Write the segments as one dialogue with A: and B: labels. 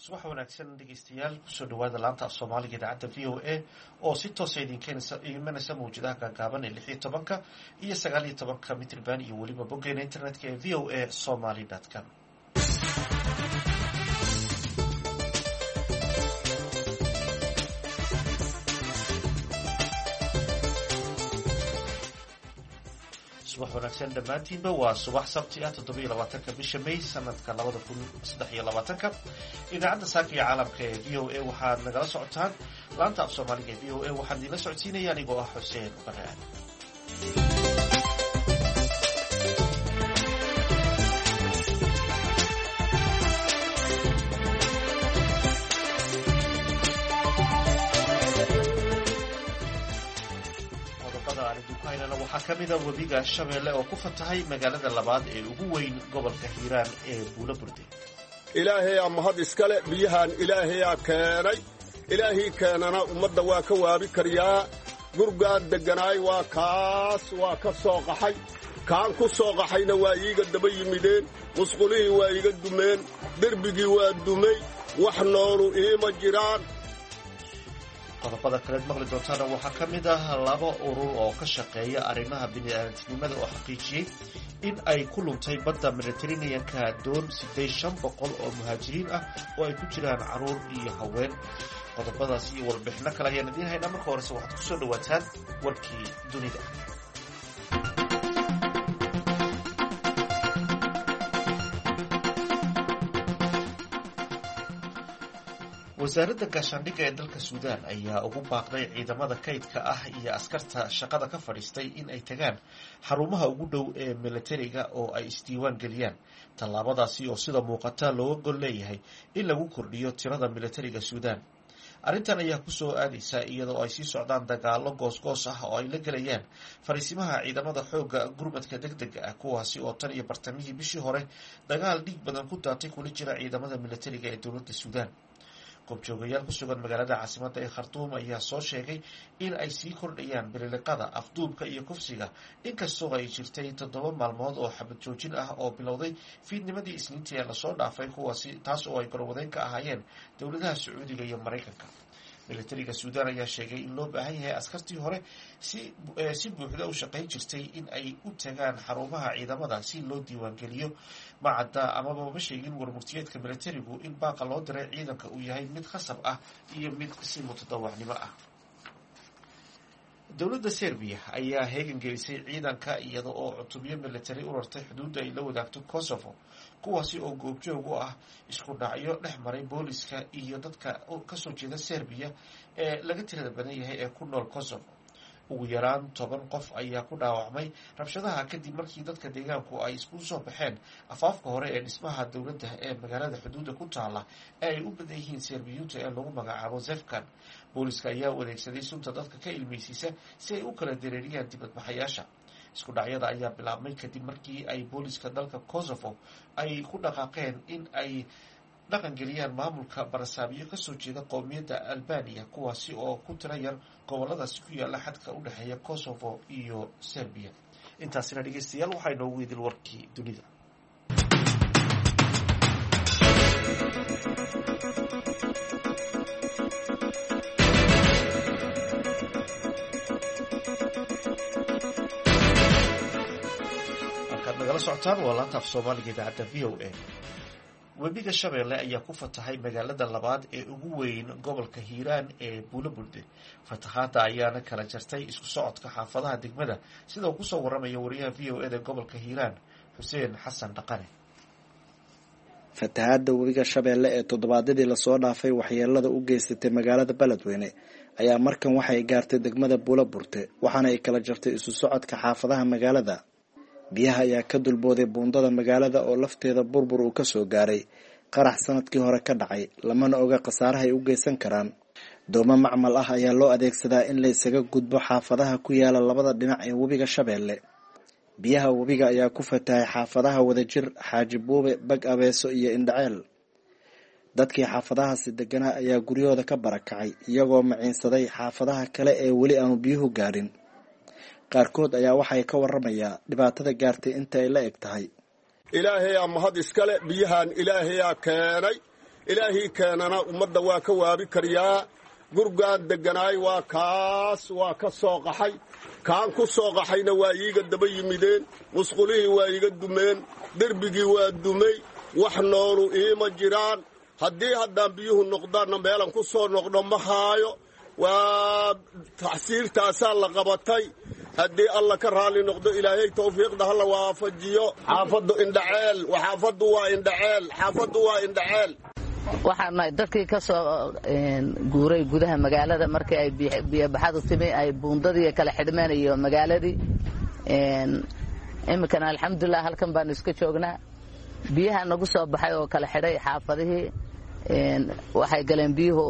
A: Subax wanaagsan dhegeystayaal, kusoo dhawaada laanta af Soomaaliga idaacadda VOA oo si toosa idinka imanaysa mawjadaha gaagaaban ee 16-ka iyo 19-ka mitriban iyo weliba boggeena internetka ee voasomali.com. Subax wanaagsan dhammaantiinba. Waa subax Sabti ah, 27-ka bisha May, sanadka 2023-ka. Idaacadda saaka iyo caalamka ee VOA waxaad nagala socotaan laanta af Soomaaliga ee VOA. Waxaan idinla socodsiinaya anigoo ah Xuseen Bare Aadan. Waxaa ka mida webiga Shabeelle oo ku fatahay magaalada labaad ee ugu weyn gobolka Hiiraan ee Buulo Burde.
B: Ilaahayaa mahad iskale. Biyahaan Ilaahayaa keenay. Ilaahii keenana ummadda waa ka waabi karyaa. Gurgaan degganaay waa kaas, waa ka soo qaxay. Kaan ku soo qaxayna waa iiga daba yimideen. Musqulihii waa iiga dumeen, derbigii waa dumay, wax noolu iima jiraan.
A: Qodobada kaleed maqli doontaana waxaa ka mid ah laba urur oo ka shaqeeya arrimaha bini'aadantinimada oo xaqiijiyey in ay ku luntay badda Mediteraneanka doon siday 500 oo muhaajiriin ah oo ay ku jiraan caruur iyo haween. Qodobadaas iyo warbixino kale ayaan idiin haynaa. Marka horese waxaad kusoo dhawaataan warkii dunida. Wasaaradda gaashaandhigga ee dalka Suudaan ayaa ugu baaqday ciidamada kaydka ah iyo askarta shaqada ka fadhiistay in ay tagaan xarumaha ugu dhow ee milatariga oo ay isdiiwaan geliyaan. Tallaabadaasi oo sida muuqata looga gol leeyahay in lagu kordhiyo tirada milatariga Suudaan. Arrintan ayaa kusoo aadaysa iyadoo ay sii socdaan dagaalo goosgoos ah oo ay la gelayaan fariisimaha ciidamada xoogga gurmadka deg dega ah, kuwaasi oo tan iyo bartamihii bishii hore dagaal dhiig badan ku daatay kula jira ciidamada milatariga ee dowladda Suudaan. Goobjoogayaal ku sugan magaalada caasimadda ee Khartuum ayaa soo sheegay in ay sii kordhayaan bililiqada, afduubka iyo kufsiga, inkastoo ay jirtay 7 maalmood oo xabad joojin ah oo bilowday fiidnimadii Isniintii ee lasoo dhaafay, kuwaasi taas oo ay garwadeyn ka ahaayeen dowladaha Sacuudiga iyo Maraykanka. Militariga Suudaan ayaa sheegay in loo baahan yahay askartii hore si buuxda u shaqayn jirtay in ay u tagaan xarumaha ciidamada si loo diiwaangeliyo. Macadda amaba ma sheegin warmurtiyeedka militarigu in baaqa loo diray ciidanka uu yahay mid khasab ah iyo mid si mutadawacnimo ah. Dowladda Serbiya ayaa heegan gelisay ciidanka iyada oo cutubyo military u rartay xuduudda ay la wadaagto Kosovo, kuwaasi oo goobjoog u ah isku dhacyo dhex maray booliska iyo dadka kasoo jeeda Serbiya ee laga tirada badan yahay ee ku nool Kosovo. Ugu yaraan 10 qof ayaa ku dhaawacmay rabshadaha kadib markii dadka deegaanku ay isku soo baxeen afaafka hore ee dhismaha dowladda ee magaalada xuduudda ku taala ee ay u badan yihiin Serbiyuunta ee lagu magacaabo Zefkan. Booliska ayaa u adeegsaday sunta dadka ka ilmeysiisa si ay u kala dareeriyaan dibadbaxayaasha. Isku dhacyada ayaa bilaabmay kadib markii ay booliska dalka Kosovo ay ku dhaqaaqeen in ay dhaqangeliyaan maamulka barasaabiyo kasoo jeeda qowmiyadda Albaniya, kuwaasi oo ku tira yar goboladaasi ku yaala xadka u dhexeeya Kosovo iyo Serbiya. Intaasina dhegeystayaal waxaa inoogu idil warkii dunida. Halkaad nagala socotaan waa laanta af Soomaaliga idaacadda VOA. Webiga Shabeelle ayaa ku fatahay magaalada labaad ee ugu weyn gobolka Hiiraan ee Buulo Burde. Fatahaadda ayaana kala jartay isku socodka xaafadaha degmada, sida uu kusoo waramayo wariyaha VOA da gobolka Hiiraan, Xuseen Xasan Dhaqane.
C: Fatahaadda webiga Shabeelle ee toddobaadyadii lasoo dhaafay waxyeelada u geysatay magaalada Beledweyne ayaa markan waxay gaartay degmada Buulo Burte, waxaana ay kala jartay isu socodka xaafadaha magaalada. Biyaha ayaa ka dulbooday buundada magaalada oo lafteeda burbur uu kasoo gaaray qarax sanadkii hore ka dhacay, lamana oga khasaaraha ay u geysan karaan. Doomo macmal ah ayaa loo adeegsadaa in la isaga gudbo xaafadaha ku yaala labada dhinac ee webiga Shabeelle. Biyaha webiga ayaa ku fatahay xaafadaha Wadajir, Xaaji Buube, Bag Abeeso iyo Indhaceel. Dadkii xaafadahaasi deganaa ayaa guryahooda ka barakacay, iyagoo maciinsaday xaafadaha kale ee weli aanu biyuhu gaadhin. Qaarkood ayaa waxay ka waramayaa dhibaatada gaartay inta ay la eg tahay.
B: Ilaahayaa mahad iskale. Biyahaan Ilaahayaa keenay. Ilaahii keenana ummadda waa ka waabi karyaa. Gurgaan degganaay waa kaas, waa ka soo qaxay. Kaan ku soo qaxayna waa iiga daba yimideen. Musqulihii waa iiga dumeen, derbigii waa dumay, wax noolu iima jiraan. Haddii haddaan biyuhu noqdaanna meelan ku soo noqdho ma haayo. Waa tacsiirtaasaa la qabatay. Haddii Alla ka raalli noqdo, Ilaahay tawfiiqda ha la waafajiyo. Xaafaddu Indhaceel, xaafaddu waa Indhaceel, xaafaddu waa Indhaceel.
D: Waxaan nahay dadkii ka soo guuray gudaha magaalada markii ay biyobaxadu timi, ay buundadii kala xidhmeen iyo magaaladii. Iminkana alxamdulilah halkan baanu iska joognaa. Biyaha nagu soo baxay oo kala xidhay xaafadihii. Waxay galeen biyuhu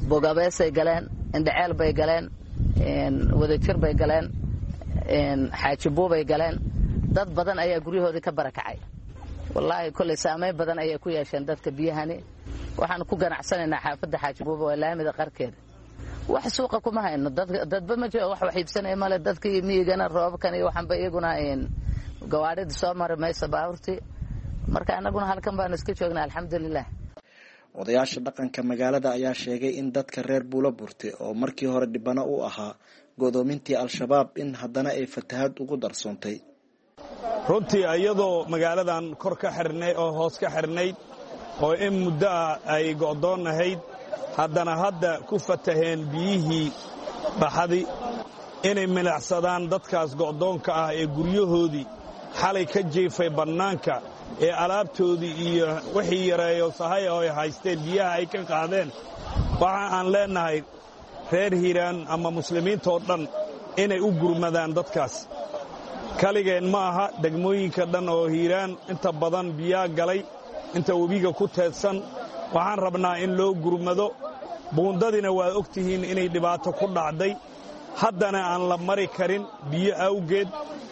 D: Bogabeesay galeen, Indhaceel bay galeen, Wadajir bay galeen, Xaajibuubay galeen. Dad badan ayaa guryahoodii ka barakacay. Wallaahi kolley saamayn badan ayay ku yeesheen dadka biyahani. Waxaanu ku ganacsanaynaa xaafadda Xaajibuuba, waa laamida qarkeeda. Wax suuqa kuma hayno, dadba ma jiro, wax wax iibsanaya male. Dadkii miyigana roobabkan iyo waxanba iyaguna gawaadhida soo mari mayso, baabuurtii. Marka annaguna halkan baanu iska joognaa, alxamdulilah.
C: Odayaasha dhaqanka magaalada ayaa sheegay in dadka reer Buulo Burte oo markii hore dhibano u ahaa godoomintii Al-Shabaab in haddana ay fatahaad ugu darsoontay.
E: Runtii iyadoo magaaladan kor ka xirnay oo hoos ka xirnayd oo in muddo ah ay go'doonnahayd, haddana hadda ku fataheen biyihii baxadi inay milacsadaan dadkaas go'doonka ah ee guryahoodii xalay ka jiifay bannaanka ee alaabtoodii iyo wixii yareeyo sahay oo ay haysteen biyaha ay ka qaadeen. Waxa aan leennahay reer Hiiraan ama muslimiintoo dhan inay u gurmadaan dadkaas. Kaligeen ma aha, degmooyinka dhan oo Hiiraan inta badan biyaa galay, inta webiga ku teedsan. Waxaan rabnaa in loo gurmado. Buundadina waad og tihiin inay dhibaato ku dhacday, haddana aan la mari karin biyo awgeed.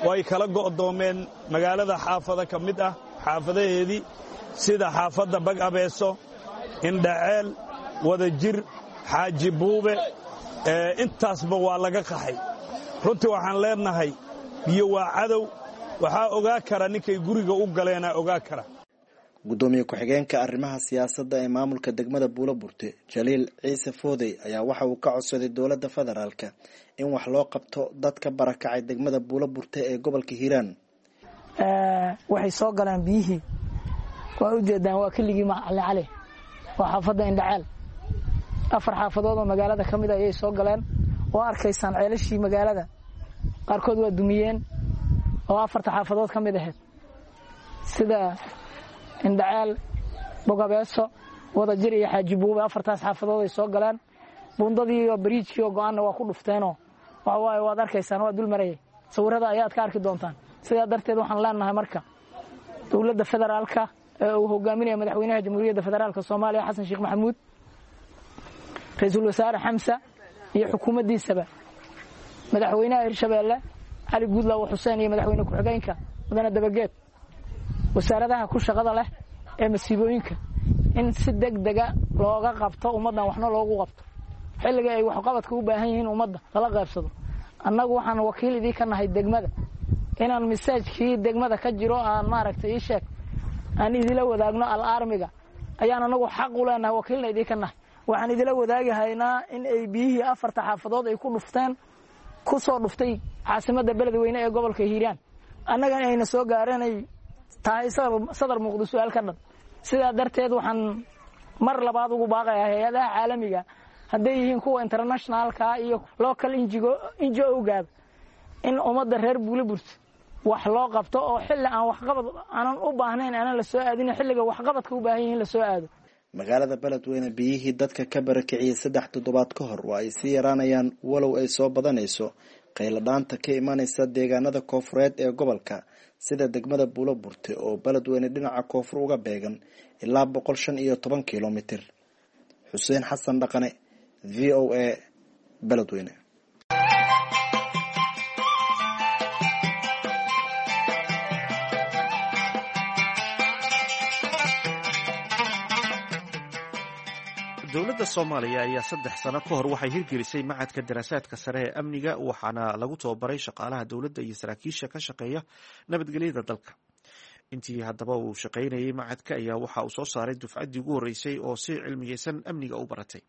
E: Way kala go'doomeen magaalada xaafado ka mid ah xaafadaheedii, sida xaafadda Bag Abeeso, Indhaceel, Wadajir, Xaaji Buube, intaasba waa laga qaxay. Runtii waxaan leenahay biyo waa cadow. Waxaa ogaa kara ninkay guriga u galeenaa ogaa kara.
C: Gudoomiye ku-xigeenka arrimaha siyaasadda ee maamulka degmada Buulo Burte, Jaliil Ciise Foodey, ayaa waxa uu ka codsaday dowladda federaalka in wax loo qabto dadka barakacay degmada Buulo Burte ee gobolka Hiiraan.
F: Waxay soo galeen biyihii, waa ujeedaan, waa keligii Macali Cali, waa xaafadda Indhaceel. Afar xaafadood oo magaalada ka mid ayay soo galeen. Oo arkaysaan ceelashii magaalada qaarkood waa dumiyeen oo afarta xaafadood ka mid ahayd, sida Indhaceel, Bogabeeso, Wadajir iyo Xaajibuube. Afartaas xaafadood ay soo galeen. Buundadii iyo bariijkii oo go-aanna waa ku dhufteenoo waxa waaye waad arkaysaan, waa dul marayay, sawirada ayaad ka arki doontaan. Sidaa darteed waxaan leenahay marka dowladda federaalka ee uu hogaaminaya madaxweynaha Jamhuuriyadda Federaalka Soomaaliya Xasan Sheekh Maxamuud, ra-iisul wasaare Xamsa iyo xukuumaddiisaba, madaxweynaha Hirshabeelle Cali Guudlaawo Xuseen iyo madaxweyne ku-xigeenka mudane Dabageed, wasaaradaha ku shaqada leh ee masiibooyinka, in si deg dega looga qabto ummaddan, waxna loogu qabto xilliga ay waxqabadka u baahan yihiin, ummadda lala qaybsado. Annagu waxaan wakiil idii ka nahay degmada inaan masaajkii degmada ka jiro aan maaragtay ii sheeg aan idila wadaagno. Al-aarmiga ayaan anagu xaq u leenahay, wakiilna idii ka nahay. Waxaan idila wadaagi haynaa in ay biyihii afarta xaafadood ay ku dhufteen, ku soo dhuftay caasimadda Beledweyne ee gobolka Hiiraan, annagana ayna soo gaareen, ay tahay sadar muuqdo su-aal ka dhan. Sidaa darteed waxaan mar labaad ugu baaqayaa hay-adaha caalamiga, hadday yihiin kuwa internationalka iyo local NGO-gaaba, in ummadda reer Buuliburte wax loo qabto oo xilli aan waxqabad aanan u baahnayn aanan la soo aadin, xilliga waxqabadka u baahan yihiin la soo aado.
C: Magaalada Beledweyne biyihii dadka ka barakiciyey 3 toddobaad ka hor waa ay sii yaraanayaan, walow ay soo badanayso qayladhaanta ka imanaysa deegaanada koofureed ee gobolka, sida degmada Buulo Burte oo Beledweyne dhinaca koonfur uga beegan ilaa 115 kilomitir. Xuseen Xasan Dhaqane, VOA, Beledweyne.
A: Dowladda Soomaaliya ayaa 3 sano ka hor waxay hirgelisay Macadka Daraasaadka Sare ee Amniga, waxaana lagu tababaray shaqaalaha dowladda iyo saraakiisha ka shaqeeya nabadgelyada dalka. Intii haddaba uu shaqaynayay macadka ayaa waxa uu soo saaray dufcaddii ugu horreysay oo si cilmiyeysan amniga u baratay.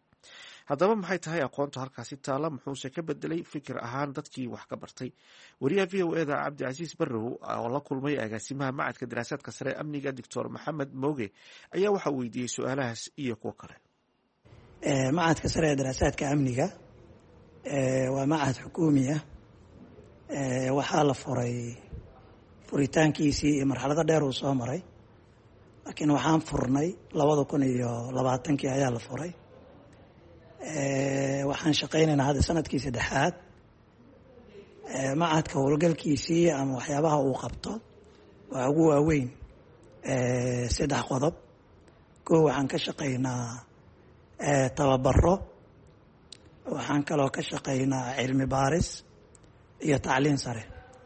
A: Haddaba maxay tahay aqoonta halkaasi taala, muxuuse ka bedelay fikir ahaan dadkii wax ka bartay? Wariyaha VOA-da Cabdicasiis Barrow oo la kulmay agaasimaha macadka daraasaadka sare amniga, Doctor Maxamed Mooge, ayaa waxaa weydiiyey su-aalahaas iyo kuwo kale.
G: Macadka sare ee daraasaadka amniga waa macad xukuumi ah. Waxaa la furay, furitaankiisii iyo marxalado dheer uu soo maray, laakiin waxaan furnay 2020-kii ayaa la furay. Waxaan shaqaynaynaa hadda sanadkii saddexaad. Macadka howlgalkiisii ama waxyaabaha uu qabto waa ugu waaweyn saddex qodob. Koo, waxaan ka shaqaynaa tababaro, waxaan kaloo ka shaqaynaa cilmi baaris iyo tacliin sare.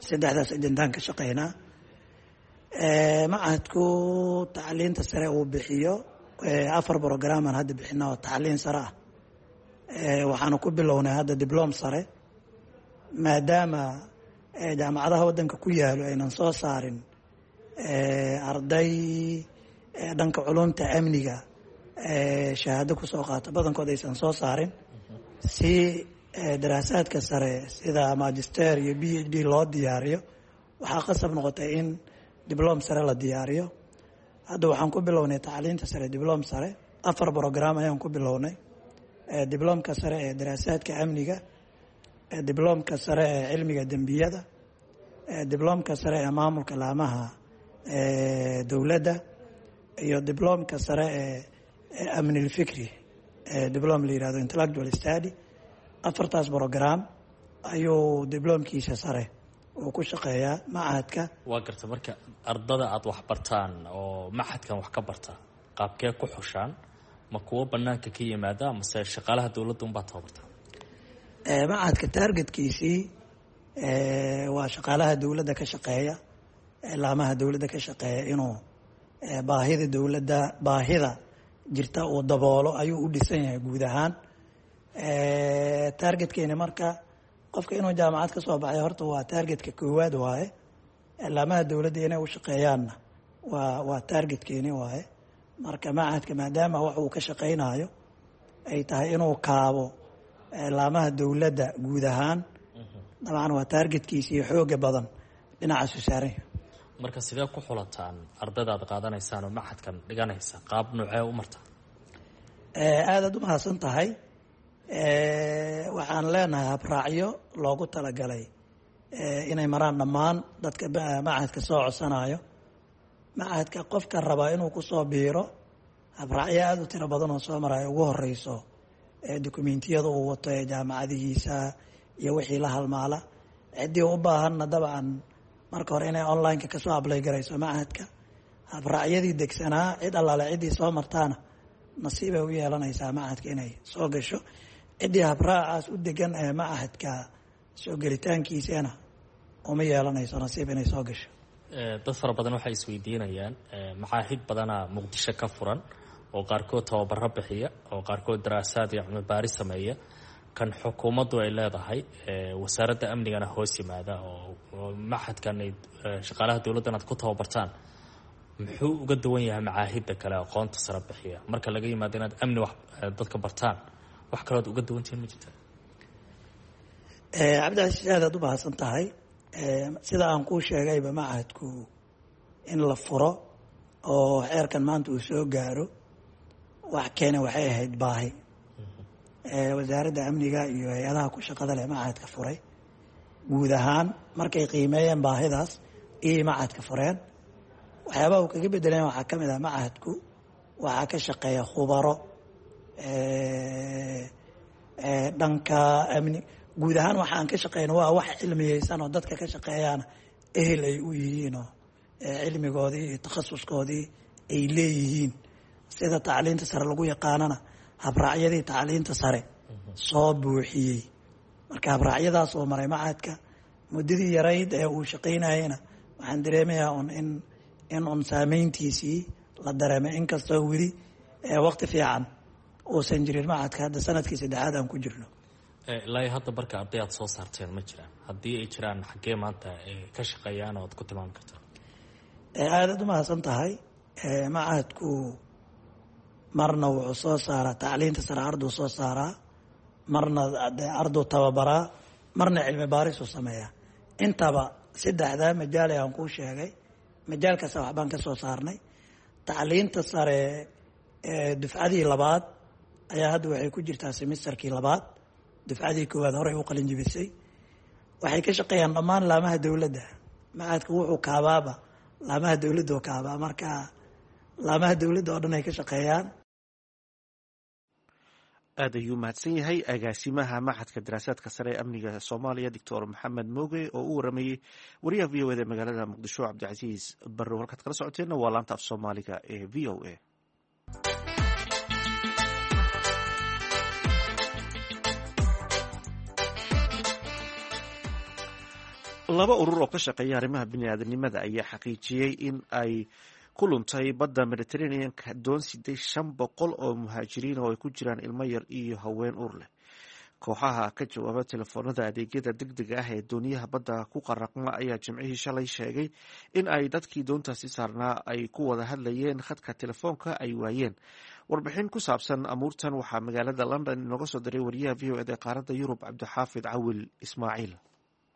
G: Saddexdaas ajendaan ka shaqaynaa. Macadku tacliinta sare uu bixiyo afar programaan hadda bixina oo tacliin sare ah. Waxaanu ku bilownay hadda diblom sare, maadaama jaamacadaha waddanka ku yaalo aynan soo saarin arday dhanka culumta amniga shahaado kusoo qaato, badankood aysan soo saarin. Si daraasaadka sare sida magister iyo PhD loo diyaariyo, waxaa qasab noqotay in diblom sare la diyaariyo. Hadda waxaan ku bilownay tacliinta sare diblom sare, afar program ayaan ku bilownay: diblomka sare ee daraasaadka amniga, diblomka sare ee cilmiga dembiyada, diblomka sare ee maamulka laamaha dowladda iyo diblomka sare ee amnilfikri, diblom la yihahdo intellectual study. Afartaas program ayuu diblomkiisa sare uu ku shaqeeyaa machadka.
H: Waa garta. Marka ardada aada wax bartaan oo machadkan wax ka barta, qaabkee ku xushaan? Ma kuwo banaanka ka yimaada mase shaqaalaha dowladda unbaa tababarta?
G: Machadka targetkiisii waa shaqaalaha dowladda ka shaqeeya, laamaha dowladda ka shaqeeya. Inuu baahida dowladda, baahida jirta uu daboolo ayuu u dhisan yahay guud ahaan targetkeeni. Marka qofka inuu jaamacad ka soo baxay horta waa targetka koowaad waaye, laamaha dowladda inay u shaqeeyaanna waa targetkeeni waaye. Marka machadka, maadaama wax uu ka shaqaynayo ay tahay inuu kaabo laamaha dowladda guud ahaan, dabcan waa targetkiisa iyo xooga badan dhinacaasu saaran.
H: Marka sidee ku xulataan ardayda aad qaadanaysaan oo machadkan dhiganaysa? Qaab noocee u marta?
G: Aadaad u mahadsan tahay. Waxaan leenahay habraacyo loogu talagalay inay maraan dhammaan dadka machadka soo codsanayo. Machadka qofka rabaa inuu kusoo biiro, habraacyo aada u tiro badan oo soo maraya, ugu horeyso dukumentiyada uu wato ee jaamacadihiisa iyo wixii la halmaala. Ciddii u baahanna dabcan marka hore inay online-ka kasoo apply garayso machadka. Habraacyadii degsanaa cid allaale ciddii soo martaana nasiibay u yeelanaysaa machadka inay soo gasho. Ciddii habraacaas u degan ee machadka soo gelitaankiisana uma yeelanayso nasiib inay soo gasho.
H: Dad fara badan waxay isweydiinayaan, macaahid badanaa Muqdisho ka furan oo qaarkood tababaro bixiya oo qaarkood daraasaad iyo cilmi baaris sameeya, kan xukuumaddu ay leedahay, wasaaradda amnigana hoos yimaada, oo machadkan ay shaqaalaha dowladdan aad ku tababartaan, muxuu uga duwan yahay macaahidda kale aqoonta sare bixiya? Marka laga yimaado inaad amni wax dadka bartaan, wax kalood uga duwantihiin ma jirta?
G: Cabdicasiis, aadaad u mahadsan tahay. Sida aan kuu sheegayba, machadku in la furo oo xeerkan maanta uu soo gaaro wax keena waxay ahayd baahi. Wasaaradda amniga iyo hay-adaha ku shaqada leh machadka furay guud ahaan markay qiimeeyeen baahidaas iyay machadka fureen. Waxyaabaha uu kaga bedeleen waxaa ka mid ah, machadku waxaa ka shaqeeya khubaro dhanka amni guud ahaan. Waxa aan ka shaqeyno waa wax cilmiyeysan oo dadka ka shaqeeyaana ehel ay u yihiin oo cilmigoodii iyo takhasuskoodii ay leeyihiin, sida tacliinta sare lagu yaqaanana habraacyadii tacliinta sare soo buuxiyey. Marka habraacyadaas oo maray machadka muddadii yarayd ee uu shaqaynayena, waxaan dareemayaa un in un saameyntiisii la dareemay, inkastoo weli waqti fiican uusan jirin machadka, hadda sanadkii saddexaad aan ku jirno.
H: Ilaa hadda marka arday aad soo saarteen ma jiraan? Haddii ay jiraan, xaggee maanta ka shaqeeyaan oo aad ku tilmaami kartaa?
G: Aadaad u mahadsan tahay. Machadku marna wuxuu soo saaraa tacliinta sare, arduu soo saaraa, marna arduu tababaraa, marna cilmi baarisuu sameeyaa. Intaba saddexdaa majaal ee aan kuu sheegay, majaal kasta waxbaan ka soo saarnay. Tacliinta sare dufcadii labaad ayaa hadda waxay ku jirtaa semesterkii labaad. Dufcadii koowaad horey u qalin jibisay. Waxay ka shaqeeyaan dhammaan laamaha dowladda. Machadku wuxuu kaabaaba laamaha dowladda oo kaabaa, marka laamaha dowladda oo dhan ay ka shaqeeyaan.
A: Aad ayuu mahadsan yahay agaasimaha Machadka Daraasaadka Sare ee Amniga Soomaaliya, Doctor Maxamed Mooge, oo u waramayey wariyaha VOA da magaalada Muqdisho, Cabdicasiis Barrow. Halkaad kala socoteenna waa laanta af Soomaaliga ee VOA. Laba urur oo ka shaqeeya arrimaha biniaadanimada ayaa xaqiijiyey in ay ku luntay badda Mediterraneanka doon siday 500 oo muhaajiriin oo ay ku jiraan ilmo yar iyo haween uur leh. Kooxaha ka jawaaba telefoonada adeegyada degdega ah ee dooniyaha badda ku qaraqma ayaa Jimcihii shalay sheegay in ay dadkii doontaasi saarnaa ay ku wada hadlayeen khadka telefoonka ay waayeen. Warbixin ku saabsan amuurtan waxaa magaalada London inooga soo diray wariyaha VOA da ee qaaradda Yurub, Cabdixaafid Cawil Ismaaciil.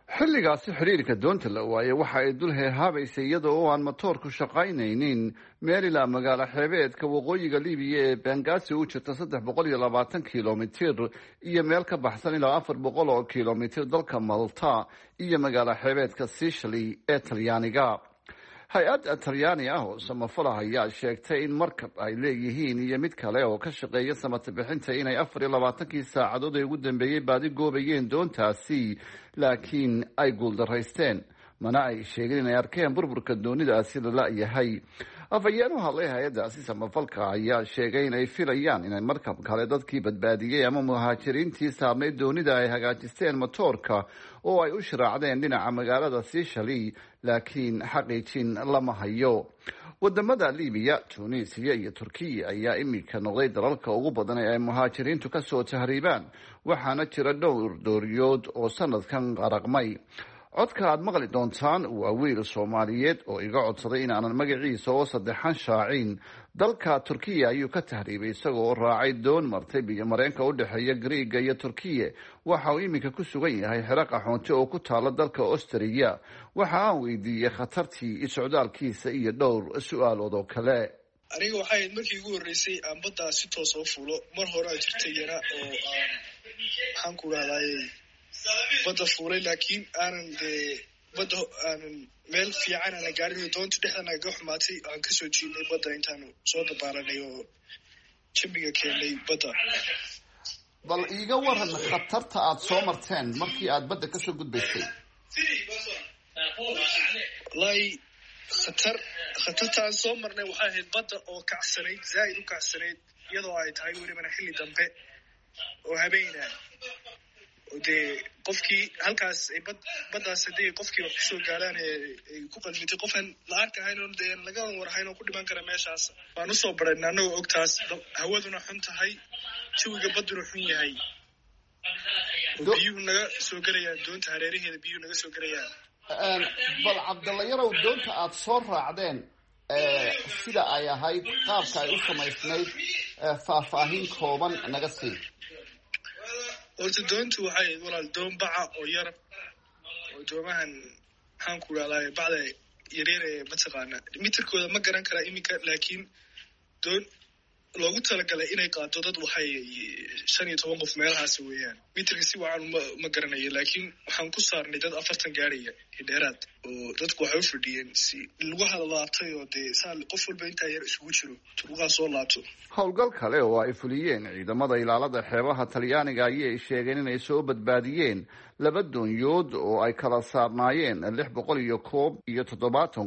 I: Xilligaasi xidhiirka doonta la waayay waxa ay dul heehaabaysay iyada oo aan matoorku shaqaynaynin meel ilaa magaalo xeebeedka waqooyiga Libiya ee Bengasi u jirta 320 kilomitir iyo meel ka baxsan ilaa 400 oo kilomitir dalka Malta iyo magaalo xeebeedka Sicily ee Talyaaniga. Hay-ad Talyaani ah oo samafalaha ayaa sheegtay in markab ay leeyihiin iyo mid kale oo ka shaqeeya samata bixinta inay 24kii saacadood ee ugu dambeeyey baadi goobayeen doontaasi, laakiin ay guuldaraysteen. Mana ay sheegin inay arkeen burburka doonidaasi la la-yahay. Afhayeen u hadlay hay-addaasi samafalka ayaa sheegay inay filayaan inay markab kale dadkii badbaadiyey ama muhaajiriintii saarnayd doonida ay hagaajisteen matoorka oo ay u shiraacdeen dhinaca magaalada Sicily, laakiin xaqiijin lama hayo. Wadamada Libiya, Tunisiya iyo Turkiya ayaa iminka noqday dalalka ugu badan ee ay muhaajiriintu kasoo tahriibaan, waxaana jira dhowr dooriyood oo sanadkan qaraqmay. Codka aad maqli doontaan waa wiil Soomaaliyeed oo iga codsaday in aanan magaciisa oo saddexan shaacin. Dalka Turkiya ayuu ka tahriibay isagoo raacay doon martay biyo mareenka u dhexeeya Griiga iyo Turkiya. Waxa uu iminka ku sugan yahay xero qaxoonti oo ku taala dalka Austriya. Waxa aan weydiiyey khatartii socdaalkiisa iyo dhowr su-aalood oo kale.
J: Aniga waxay ahayd markii ugu horreysay aan baddaa si toos oo fuulo. Mar hore a jirtay yara oo aan, maxaan ku rahdaayey, badda fuulay, laakiin aanan dee badda aanan meel fiican aanan gaarin. Doonta dhexda nagaga xumaatay, aan kasoo jiidnay badda intaanu soo dabaalanay oo jambiga keennay badda.
I: Bal iiga waran khatarta aada soo marteen markii aad badda kasoo gudbaysay.
J: Wallaahi, khatarta aan soo marnay waxay ahayd badda oo kacsanayd, zaaid u kacsanayd, iyadoo ay tahay welibana xilli dambe oo habeena, oo dee qofkii halkaas ay baddaas haddii qofkii wax kusoo gaaraan ee ay ku qalmitay, qofaan la arkahayn oo dee laga warhayn oo ku dhiman kara meeshaas. Waan usoo barayna annagoo ogtaas, hawaduna xun tahay, jawiga badduna xun yahay, oo biyuhu naga soo gelayaan doonta hareeraheeda, biyuhu naga soo gelayaan.
I: Bal Cabdalla Yarow, doonta aada soo raacdeen sida ay ahayd, qaabka ay u samaysnayd, faahfaahin kooban naga sii.
J: Horta doontu waxay ahayd, walaal, doon baca oo yar, oo doomahan, maxaan ku rahdaay, bacda yaryar ee mataqaana. Mitirkooda ma garan karaa iminka, laakiin doon loogu talagalay inay qaado dad waxay 15 qof meelahaas weeyaan. Mitirka si wacan ma garanayo, laakiin waxaan ku saarnay dad 40 gaaraya iyo dheeraad, oo dadku waxay u fadhiyeen si lugaha la laabtay, oo dee saa qof walba intaa yar isugu jiro lugaha soo laabto.
I: Howlgal kale oo ay fuliyeen ciidamada ilaalada xeebaha Talyaaniga ayay sheegeen inay soo badbaadiyeen laba doonyood oo ay kala saarnaayeen 671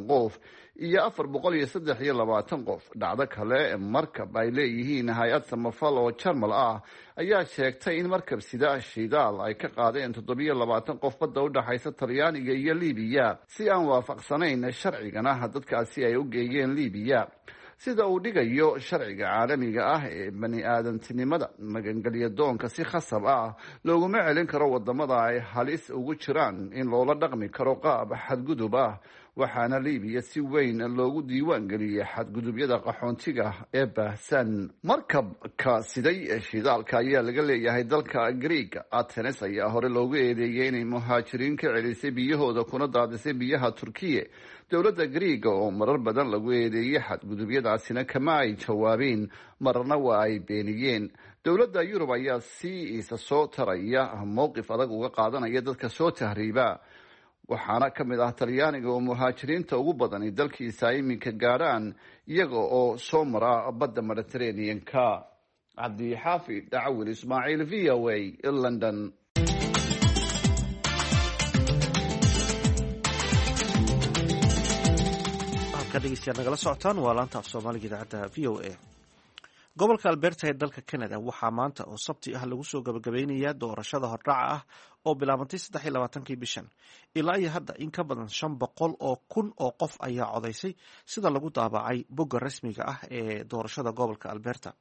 I: qof iyo 423 qof. Dhacdo kale, markab ay leeyihiin hay-ad samafal oo Jarmal ah ayaa sheegtay in markab sida shidaal ay ka qaadeen 27 qof badda u dhexaysa Talyaaniga iyo Libiya, si aan waafaqsanayn sharcigana dadkaasi ay u geeyeen Libiya. Sida uu dhigayo sharciga caalamiga ah ee bani aadantinimada, magangelya doonka si khasab ah looguma celin karo wadamada ay halis ugu jiraan in loola dhaqmi karo qaab xadgudub ah. Waxaana Libiya si weyn loogu diiwaan geliyey xadgudubyada qaxoontiga ee baahsan. Markabka siday shidaalka ayaa laga leeyahay dalka Greeg. Atenes ayaa hore loogu eedeeyey inay muhaajiriin ka celisay biyahooda kuna daadisay biyaha Turkiye. Dowladda Greega oo marar badan lagu eedeeyey xadgudubyadaasina kama ay jawaabeen, marna waa ay beeniyeen. Dowladda Yurub ayaa si isa soo taraya mowqif adag uga qaadanaya dadka soo tahriiba, waxaana ka mid ah Talyaaniga oo muhaajiriinta ugu badani dalkiisa iminka gaadhaan iyaga oo soo mara badda Mediterranean-ka. Cabdixaafid Dacwil Ismaaciil, VOA, London.
A: Halka dhegeystayaal nagala socotaan waa laanta af Soomaaliga idaacadda VOA. Gobolka Alberta ee dalka Canada waxaa maanta oo Sabti ah lagu soo gabagabeynayaa doorashada hordhaca ah oo bilaabantay 23-kii bishan. Ilaa iyo hadda in ka badan 500,000 oo qof ayaa codaysay, sida lagu daabacay bogga rasmiga ah ee doorashada gobolka Alberta.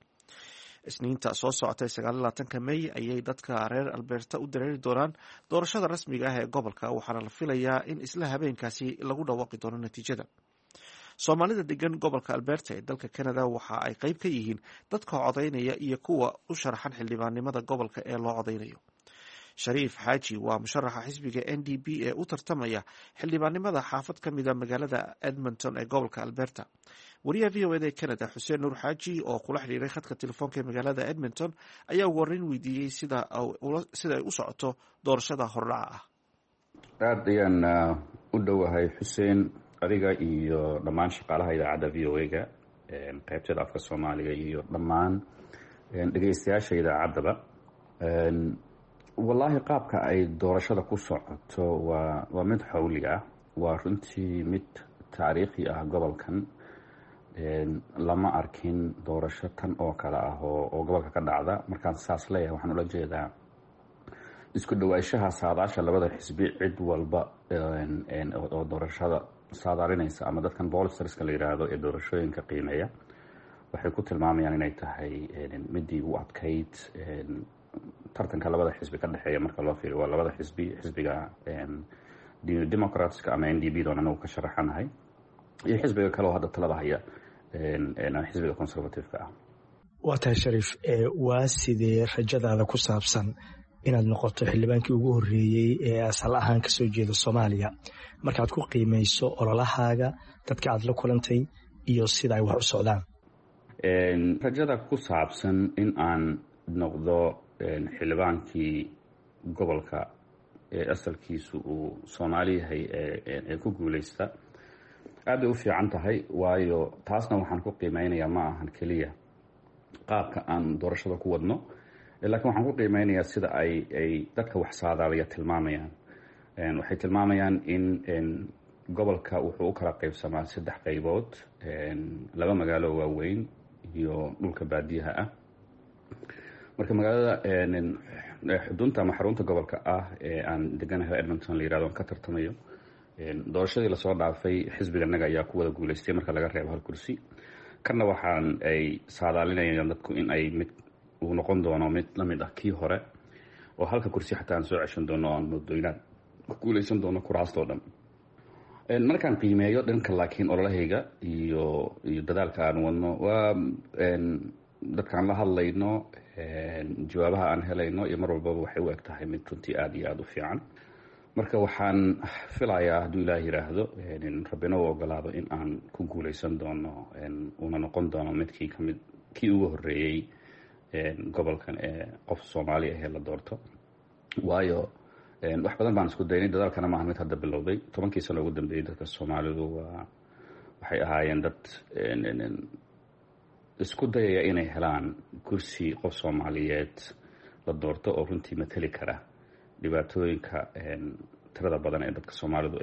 A: Isniinta soo socotay, 29-ka May, ayay dadka reer Alberta u dareeri doonaan doorashada rasmiga ah ee gobolka, waxaana la filayaa in isla habeenkaasi lagu dhawaaqi doono natiijada. Soomaalida degan gobolka Alberta ee dalka Canada waxa ay qeyb ka yihiin dadka codaynaya iyo kuwa u sharaxan xildhibaannimada gobolka ee loo codaynayo. Shariif Xaaji waa musharaxa xisbiga NDP ee u tartamaya xildhibaannimada xaafad ka mida magaalada Edmonton ee gobolka Alberta. Wariyaha VOA da ee Canada, Xuseen Nuur Xaaji, oo kula xidhiiray khadka telefoonka ee magaalada Edmonton, ayaa ugu horreyn weydiiyey sida ay u socoto doorashada hordhaca ah.
K: Aad ayaan u dhowahay, Xuseen, adiga iyo dhammaan shaqaalaha idaacadda VOA-ga qaybteeda afka Soomaaliga iyo dhammaan dhegeystayaasha idaacaddaba. Wallaahi, qaabka ay doorashada ku socoto waa mid xawli ah, waa runtii mid taariikhi ah. Gobolkan lama arkin doorasho tan oo kale ah oo gobolka ka dhacda. Markaan saas leeyahay, waxaan ula jeedaa isku dhawaanshaha saadaasha labada xisbi. Cid walba oo doorashada saadaalinaysa ama dadkan pollsters-ka la yiraahdo ee doorashooyinka qiimeeya waxay ku tilmaamayaan inay tahay midii u adkayd tartanka labada xisbi ka dhexeeya. Marka loo fiiriyo, waa labada xisbi, xisbiga Democrats-ka ama NDP doon anagu ka sharaxanahay iyo xisbiga kale oo hadda talada haya, xisbiga Conservative-ka ah.
L: Waa tahay, Shariif, waa sidee rajadaada ku saabsan inaad noqoto xildhibaankii ugu horreeyey ee asal ahaan kasoo jeeda Soomaaliya, markaad ku qiimeyso ololahaaga, dadka aad la kulantay iyo sida ay wax u socdaan?
K: Rajada ku saabsan in aan noqdo xildhibaankii gobolka ee asalkiisu uu Soomaali yahay ee ku guuleysta aad bay u fiican tahay, waayo taasna waxaan ku qiimeynayaa ma ahan keliya qaabka aan doorashada ku wadno, laakiin waxaan ku qiimeynayaa sida ay dadka wax saadaaliya tilmaamayaan. Waxay tilmaamayaan in gobolka wuxuu u kala qaybsamaa saddex qaybood: laba magaalo waaweyn iyo dhulka baadiyaha ah. Marka magaalada xudunta ama xarunta gobolka ah ee aan deganahay, Edmonton la yirahdo, aan ka tartamayo, doorashadii lasoo dhaafay xisbiganaga ayaa ku wada guuleystay marka laga reebo hal kursi. Kanna waxaan ay saadaalinayaan dadku in ay mid uu noqon doono mid lamid ah kii hore, oo halka kursi xataa aan soo ceshan doono oo aan moodo inaan ku guuleysan doono kuraastoo dhan markaan qiimeeyo dhanka. Laakiin ololahayga iyo dadaalka aan wadno, waa dadkaan la hadlayno, jawaabaha aan helayno iyo mar walbaba waxay u eg tahay mid runtii aada iyo aada u fiican. Marka waxaan filayaa, hadduu Ilaah yiraahdo, Rabbina u ogolaado, in aan ku guuleysan doono, uuna noqon doono midkii kamid kii ugu horreeyey gobolkan ee qof Soomaali ahee la doorto, waayo wax badan baan isku daynay. Dadaalkana maaha mid hadda bilowday. 10-kii sano ugu dambeeyey dadka Soomaalidu waa waxay ahaayeen dad isku dayaya inay helaan kursi qof Soomaaliyeed la doorto oo runtii mateli kara dhibaatooyinka tirada badan ee dadka Soomaalidu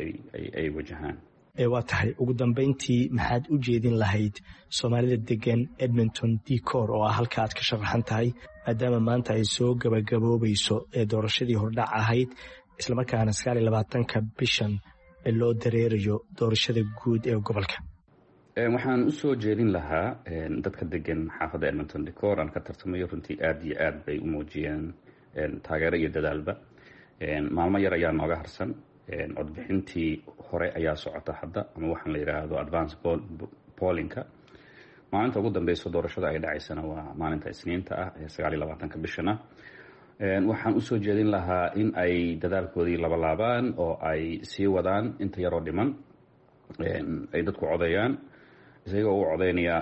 K: ay wajahaan.
L: Waa tahay. Ugu dambeyntii, maxaad u jeedin lahayd Soomaalida degan Edmonton Decor oo ah halka aad ka sharaxan tahay, maadaama maanta ay soo gabagaboobayso ee doorashadii hordhac ahayd, islamarkaana 29-ka bishan loo dareerayo doorashada guud ee gobolka?
K: Waxaan usoo jeedin lahaa dadka degan xaafadda Edmonton Decor aan ka tartamayo, runtii aada iyo aad bay u muujiyeen taageero iyo dadaalba. Maalmo yar ayaa nooga harsan. Codbixintii hore ayaa socota hadda, ama waxaan la yidhaahdo advance pollinka. Maalinta ugu dambeysa doorashada ay dhacaysana waa maalinta Isniinta ah ee 29-ka bishana. Waxaan usoo jeedin lahaa in ay dadaalkoodii labalaabaan oo ay sii wadaan inta yaroo dhiman ay dadku codeeyaan, isagoo u codeynaya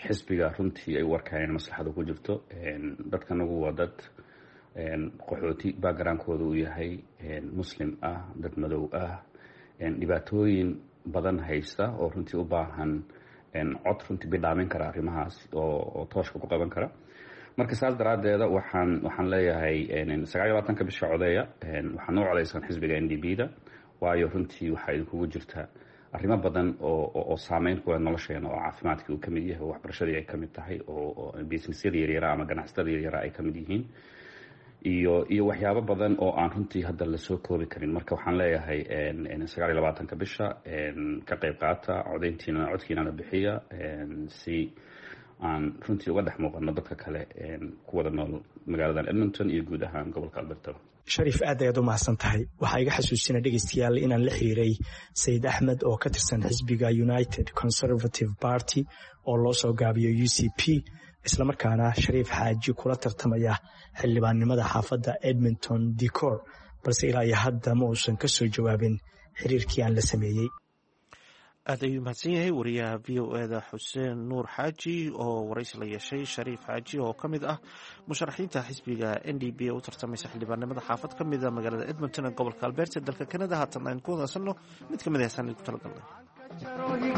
K: xisbiga runtii ay u arkaan in maslaxadu ku jirto. Dadkanagu waa dad qaxooti backgroundkooda uu yahay Muslim ah, dad madow ah, dhibaatooyin badan haysta oo runtii u baahan cod runtii bidhaamin kara arrimahaas oo tooshka ku qaban kara. Marka saas daraaddeeda waxaan leeyahay 29-ka bisha codeeya. Waxaan u codeysaan xisbiga NDP da, waayo runtii waxaa idinkugu jirta arrimo badan oo saameyn ku leh nolosheena, oo caafimaadkii uu ka mid yahay, oo waxbarashadii ay ka mid tahay, oo businessyada yaryara ama ganacsatada yaryara ay ka mid yihiin, iyo waxyaabo badan oo aan runtii hadda lasoo koobi karin. Marka waxaan leeyahay 29-ka bisha ka qayb qaata codeyntiina, codkiinana bixiya, si aan runtii uga dhex muuqano dadka kale ku wada nool magaaladan Edmonton iyo guud ahaan gobolka Alberta.
L: Shariif, aad ayaad u mahadsan tahay. Waxaa iga xasuusina dhegeystayaal inaan la xiriiray Sayid Axmed oo ka tirsan xisbiga United Conservative Party oo loo soo gaabiyo UCP, islamarkaana Shariif Xaaji kula tartamaya xildhibaannimada xaafadda Edmonton Decor, balse ilaa iyo hadda ma uusan ka soo jawaabin xiriirkii aan la sameeyey.
A: Aad ayuu mahadsan yahay wariyaha VOA da Xuseen Nuur Xaaji oo waraysi la yeeshay Shariif Xaaji oo ka mid ah musharaxiinta xisbiga NDP ee u tartamaysa xildhibaannimada xaafad ka mida magaalada Edmonton ee gobolka Alberta dalka Canada. Haatan aynu ku wadasanno mid ka mid a heesaan ku talagalnay.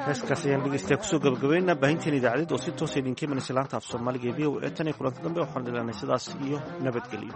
A: Heeskaas ayaan dhegeystayaa kusoo gabagabeynaa baahinteen idaacadeed oo si toosa idinka imanaysa laanta af Soomaaliga ee VOA. Tan iyo kulanta dambe waxaan dhilanay sidaas iyo nabadgelyo.